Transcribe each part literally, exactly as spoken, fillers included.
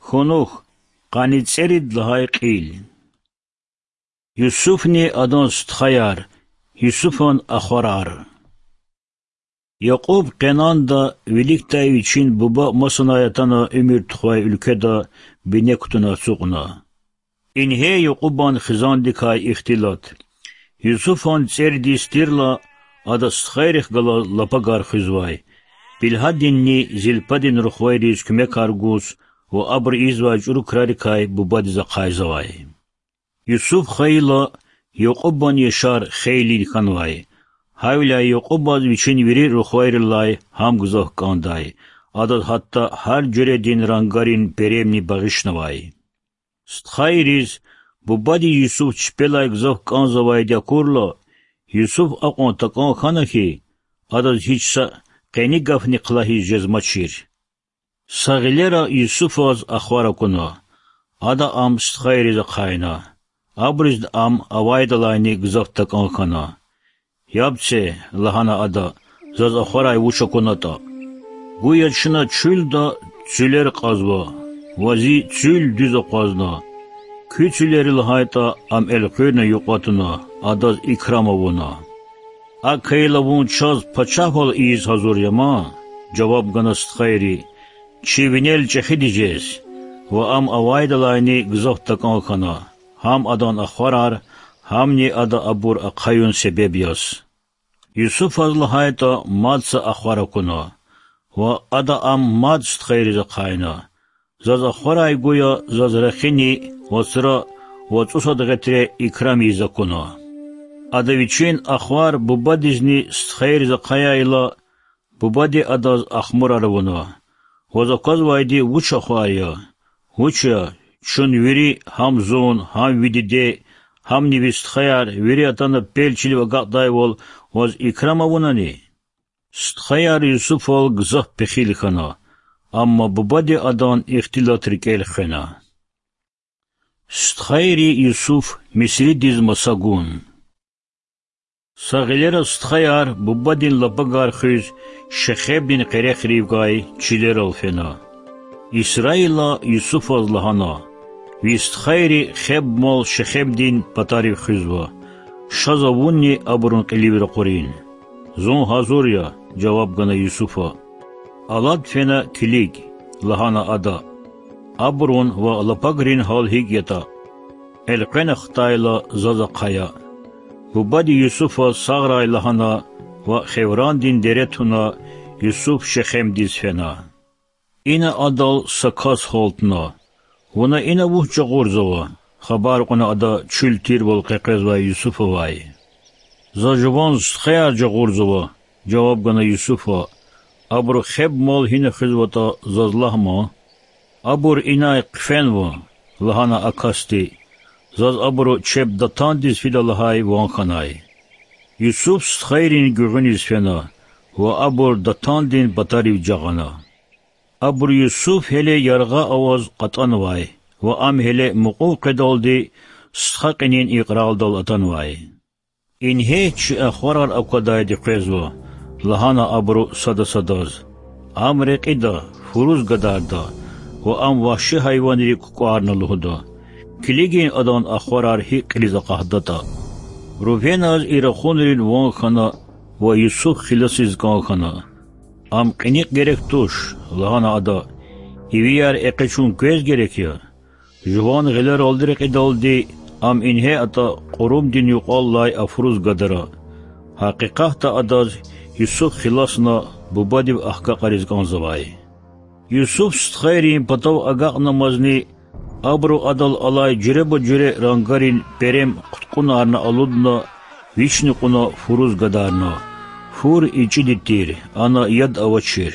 Кунух, къанни цӀерид лагьай кьил. Юсуфни адан стхаяр, Юсуфан ахварар. Якьуб Къенанда, виликдай вичин буба масанай атана уьмуьр тухвай уьлкведа, бине кутуна ацукьна. Ингье Якьубан хизандикай ихтилат. Юсуфан цӀеридиз тирла, ада стхайрихъ галаз лапагар хуьзвай, Билгьадинни Зилпадин рухвайриз куьмекар гуз ва абуру ийизвай чӀуру крарикай бубадиз ахъайзавай. Юсуф хайила, Якьубан яшар хейлин хьанвай. Гьавиляй Якьубаз вичин вири рухвайрилай гьам гзаф кӀандай, адаз гьатта гьар жуьредин рангарин перемни багъишнавай. Стхайриз, бубади Юсуф чпелай гзаф кӀанзавайди акурла, Юсуф акьван такӀан хьана хьи, адаз гьич са къени гафни хълагьиз жезмачир. Са гъилера Юсуфаз ахвар акуна. Ада ам стхайриз ахъайна. Абуризни ам авайдалайни гзаф такӀан хьана. Яб це,— лагьана ада,— заз ахварай вуч акунатӀа. Гуя чна чуьлда цуьлер кьазва, ва зи цуьл дуьз акъвазна. Куь цуьлери лагьайтӀа, ам элкъуьрна юкьва туна, адаз икрам авуна. АкӀ хьайила вун чаз пачагьвал ийиз гьазур я ман,— жаваб гана стхайри,— чи винел чӀехиди жез. Ва ам авайдалайни гзаф такӀан хьана, гьам адан ахварар, гьамни ада абур ахъаюн себеб яз. Юсуфаз лагьайтӀа мад са ахвар акуна, ва ада ам мад стхайриз ахъайна. Заз ахварай гуя заз рехини, вацра ва цӀусад гъетре икрам ийиз акуна. Ада вичин ахвар бубадизни стхайриз ахъаяйла, бубади адаз ахмурар авуна: Ваз аквазвайди вуч ахвар я? Вуч я, чун вири, гьам зун, гьам ви диде, гьамни ви стхаяр, вири атана пел чилив агакьдайвал, ваз икрам авунани? Стхаяр Юсуфал гзаф пехил хьана, амма бубади адан ихтилат рикӀел хвена. Стхайри Юсуф Мисридиз маса гун. Са гъилера стхаяр, бубадин лапагар хуьз, Шехемдин къерехривай чилерал фена. Исраила Юсуфаз лагьана: Ви стхайри хебмал Шехемдин патарив хуьзва. Ша за вунни абурун кьилив ракъурин. Зун гьазур я,— жаваб гана Юсуфа. Алад фена килиг,— лагьана ада,— абурун ва лапагрин гьал гьикӀ ятӀа. Элкъвена хтайла, заз ахъая. Бубади Юсуфаз сагърай лагьана ва Хеврандин дере туна, Юсуф Шехемдиз фена. Ина адал са кас гьалтна. Вуна ина вуч жагъурзава? хабар кьуна ада чуьл тирвал къекъвезвай Юсуфавай. За жуван стхаяр жагъурзава,— жаваб гана Юсуфа. Абуру хебмал гьина хуьзватӀа, заз лагь ман. Абур инай хъфенва,— лагьана а касди,— заз абуру чеб Датандиз фида лагьай ван хьанай. Юсуф стхайрин гуьгъуьниз фена ва абур Датандин патарив жагъана. Абуру Юсуф гьеле яргъа аваз кьатӀанвай ва ам гьеле мукьув къведалди стха кьинин икьрардал атанвай. Ингье чи ахварар аквадайди къвезва,— лагьана абуру сада садаз. Ам рекьида, фуруз гадарда, ва ам вагьши гьайванрик кукӀварна лугьуда. Килигин адан ахварар гьикӀ кьилиз акьахдатӀа. Рувеназ и рахунрин ван хьана ва Юсуф хиласиз кӀан хьана. Ам кьиникь герек туш,— лагьана ада,— ивияр экъечӀун квез герек я. Жуван гъилералди рекьидалди ам ингье атӀа кьурумдин юкьваллай афуруз гадара. Гьакъикъатда адаз Юсуф хиласна бубадив ахгакьариз кӀанзавай. Юсуф стхайрин патав агакьнамазни, абуру адал алай жуьреба-жуьре рангарин перем хъуткьунарна алудна, вични кьуна фуруз гадарна. Фур ичӀиди тир, ана яд авачир.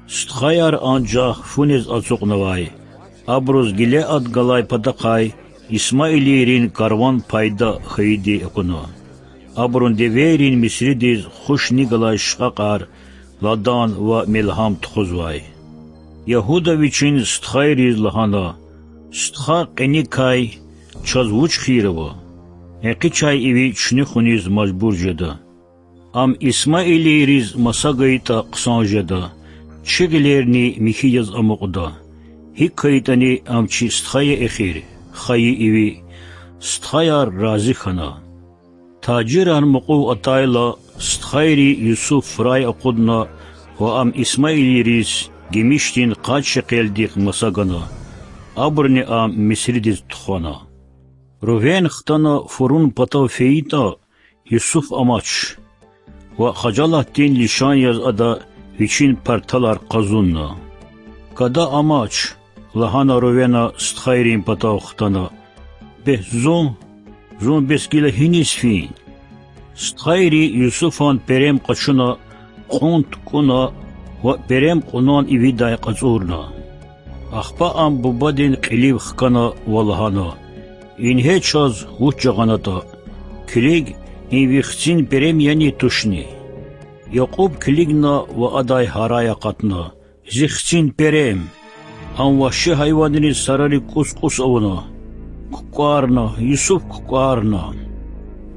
Стхаяр анжах фу нез ацукьнавай. Абуруз Гилеад галай патахъай исмаилийрин карван пайда хьайиди акуна. Абурун девейрин Мисридиз хуш ни галай шкьакьар, ладан ва мелгьам тухузвай. Ягьуда вичин стхайриз лагьана: Стха кьиникай чаз вуч хийир ава? ЭкъечӀай иви чуьнуьхуниз мажбур жеда. Ам исмаилийриз маса гайитӀа хъсан жеда, чи гъилерни михьи яз амукьда. ГьикӀ хьайитӀани, ам чи стха я эхир, хайи иви. Стхаяр рази хьана. Тажирар мукьув атайла, стхайри Юсуф фурай акъудна ва ам исмаилийриз гимишдин къад шекелдихъ маса гана. Абурни ам Мисридиз тухвана. Рувен хтана фурун патав фейитӀа, Юсуф амач ва хажалатдин лишан яз ада вичин парталар къазунна. Гада амач,— лагьана Рувена стхайрин патав хтана,— бес зун? Зун бес гила гьиниз фин? Стхайри Юсуфан перем къачуна, кьун тукӀуна ва перем кьунван ивидай кьацӀурна. Ахпа ам бубадин кьилив хкана ва лагьана: Ингье чаз вуч жагъанатӀа. Килиг, им ви хцин перем яни, тушни? Якьуб килигна ва адай гьарай акъатна: Зи хцин перем! Ам вагьши гьайванриз сарари кӀус-кӀус авуна. КукӀварна, Юсуф кукӀварна.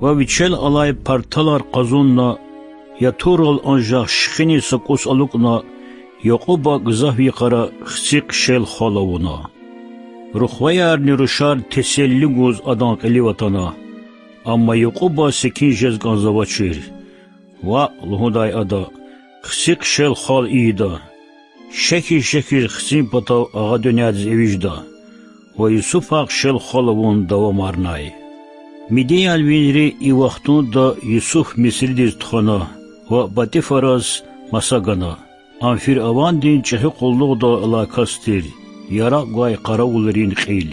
Ва вичел алай парталар къазунна, ятурал анжах шихиниз са кӀус алукӀна, Якьуба гзаф йикъара хци хъшел хвал авуна. Рухваярни рушар теселли гуз адан кьилив атана. Амма Якьуба секин жез кӀанзавачир. Ваъ,— лугьудай ада,— хци хъшел хвал ийида. Шехьиз-шехьиз хцин патав агъа дуьньядиз эвичӀда. Ва Юсуфа хъшел хвал авун давамарнай. Мидиянвийри и вахтунда Юсуф Мисридиз тухвана ва ПатӀифараз маса гана. Ам фиръавандин чӀехи къуллугъдал алай кас тир, яракь гвай къаравулрин кьил.